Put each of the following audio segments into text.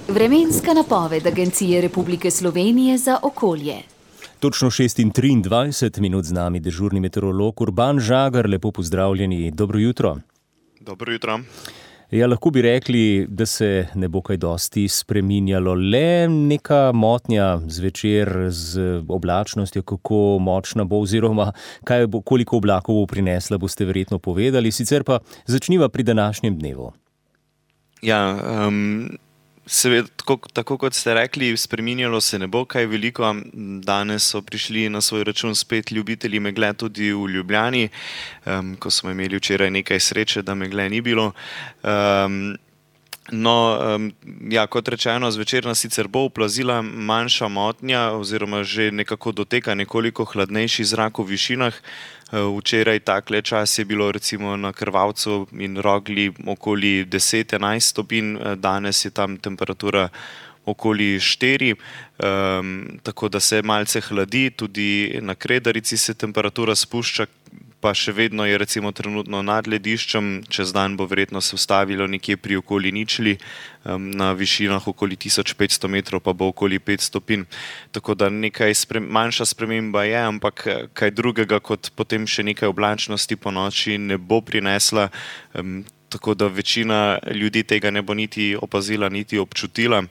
Vremenska napoved Agencije Republike Slovenije za okolje. Točno 6:23 z nami dežurni meteorolog Urban Žagar. Lepo pozdravljeni, dobro jutro. Dobro jutro. Ja, lahko bi rekli, da se ne bo kaj dosti spreminjalo, le neka motnja zvečer z oblačnostjo, kako močna bo oziroma koliko oblakov bo prinesla, boste verjetno povedali. Sicer pa začniva pri današnjem dnevu. Ja, seveda, tako kot ste rekli, spreminjalo se ne bo kaj veliko. Danes so prišli na svoj račun spet ljubitelji megle tudi v Ljubljani, ko smo imeli včeraj nekaj sreče, da megle ni bilo. Kot rečeno, zvečer nas sicer bo oplazila manjša motnja oziroma že nekako doteka nekoliko hladnejši zrak v višinah. Včeraj takle čas je bilo recimo na Krvavcu in Rogli okoli 10-11 stopinj, danes je tam temperatura okoli 4, tako da se malce hladi, tudi na Kredarici se temperatura spušča, pa še vedno je recimo trenutno nad lediščem, čez dan bo verjetno se ustavilo nekje pri okoli ničli, na višinah okoli 1500 metrov pa bo okoli 5 stopinj. Tako da nekaj manjša sprememba je, ampak kaj drugega kot potem še nekaj oblačnosti po noči ne bo prinesla, tako da večina ljudi tega ne bo niti opazila, niti občutila.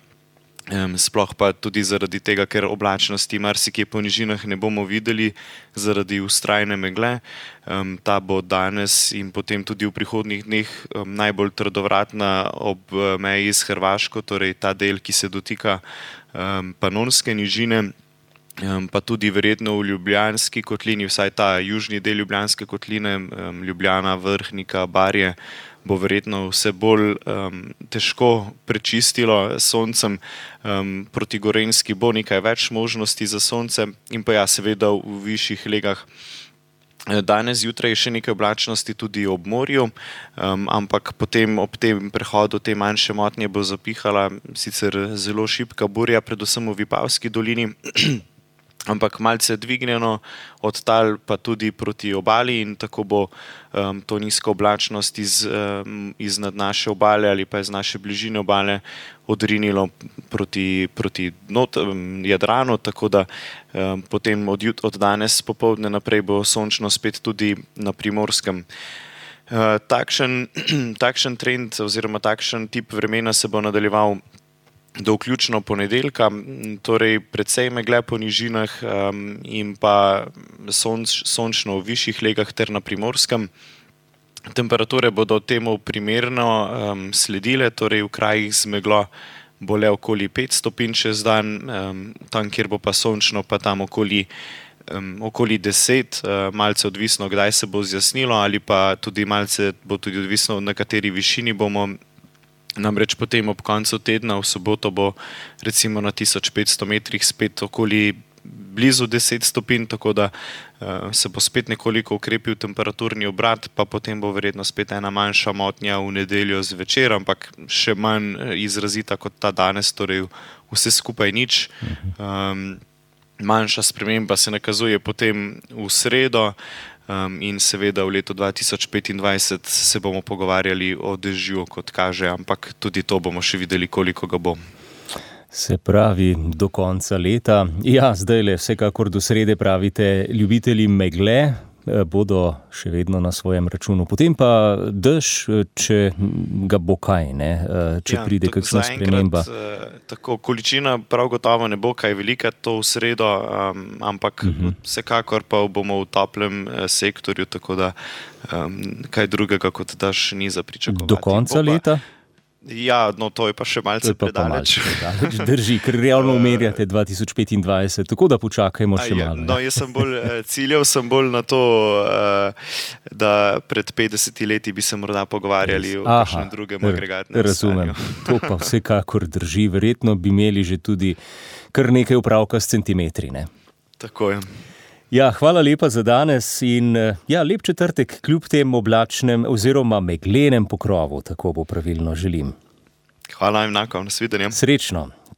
Sploh pa tudi zaradi tega, ker oblačnosti marsikje po nižinah ne bomo videli zaradi vztrajne megle. Ta bo danes in potem tudi v prihodnjih dneh najbolj trdovratna ob meji s Hrvaško, torej ta del, ki se dotika Panonske nižine, pa tudi verjetno v Ljubljanski kotlini, vsaj ta južni del Ljubljanske kotline, Ljubljana, Vrhnika, Barje, bo verjetno vse bolj težko prečistilo s soncem. Proti Gorenjski bo nekaj več možnosti za sonce in pa seveda v višjih legah. Danes zjutraj je še nekaj oblačnosti tudi ob morju, ampak potem ob tem prehodu te manjše motnje bo zapihala sicer zelo šibka burja, predvsem v Vipavski dolini, ampak malce dvignjeno od tal pa tudi proti obali in tako bo to nizko oblačnost iznad naše obale ali pa iz naše bližine obale odrinilo proti Jadranu, tako da potem od danes popoldne naprej bo sončno spet tudi na Primorskem. Takšen trend oziroma takšen tip vremena se bo nadaljeval do vključno ponedeljka, torej precej megle po nižinah in pa sončno v višjih legah ter na Primorskem. Temperature bodo temu primerno sledile, torej v krajih z meglo bo le okoli 5 stopinj čez dan, tam kjer bo pa sončno pa tam okoli 10, malce odvisno, kdaj se bo zjasnilo ali pa tudi malce bo tudi odvisno, na kateri višini bomo. Namreč potem ob koncu tedna v soboto bo recimo na 1500 metrih spet okoli blizu 10 stopinj, tako da se bo spet nekoliko ukrepil temperaturni obrat, pa potem bo verjetno spet ena manjša motnja v nedeljo zvečer, ampak še manj izrazita kot ta danes, torej vse skupaj nič. Manjša sprememba se nakazuje potem v sredo, in seveda v letu 2025 se bomo pogovarjali o dežju, kot kaže, ampak tudi to bomo še videli, koliko ga bo. Se pravi, do konca leta. Ja, zdajle vsekakor do srede pravite, ljubitelji megle bodo še vedno na svojem računu. Potem pa dež, če ga bo kaj, ne? Če pride kakšna sprememba. Tako, količina prav gotovo ne bo kaj velika to v sredo, ampak vsekakor pa bomo v toplem sektorju, tako da kaj drugega kot dež ni za pričakovati. Do konca leta? Ja, no to je pa še malce predaleč. Drži, ker realno umerjate 2025, tako da počakajmo še malo. No, jaz sem ciljal na to, da pred 50 leti bi se morda pogovarjali o kakšnem drugem agregatnem stanju. Razumem, to pa vsekakor drži, verjetno bi imeli že tudi kar nekaj opravka s centimetri, ne? Tako je. Ja, hvala lepa za danes in lep četrtek kljub tem oblačnem oziroma meglenem pokrovu, tako bo pravilno želim. Hvala enako, nasvidenje. Srečno.